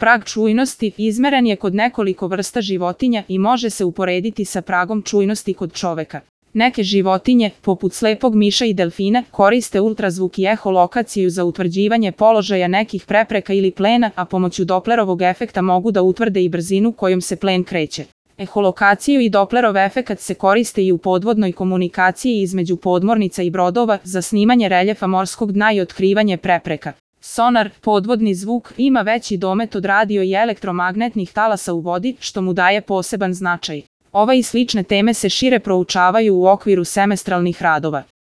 Prag čujnosti izmeren je kod nekoliko vrsta životinja i može se uporediti sa pragom čujnosti kod čoveka. Neke životinje, poput slepog miša i delfina, koriste ultrazvuk i eholokaciju za utvrđivanje položaja nekih prepreka ili plena, a pomoću Doplerovog efekta mogu da utvrde i brzinu kojom se plen kreće. Eholokaciju i Doplerov efekat se koriste i u podvodnoj komunikaciji između podmornica i brodova za snimanje reljefa morskog dna i otkrivanje prepreka. Sonar, podvodni zvuk, ima veći domet od radio i elektromagnetnih talasa u vodi, što mu daje poseban značaj. Ova i slične teme se šire proučavaju u okviru semestralnih radova.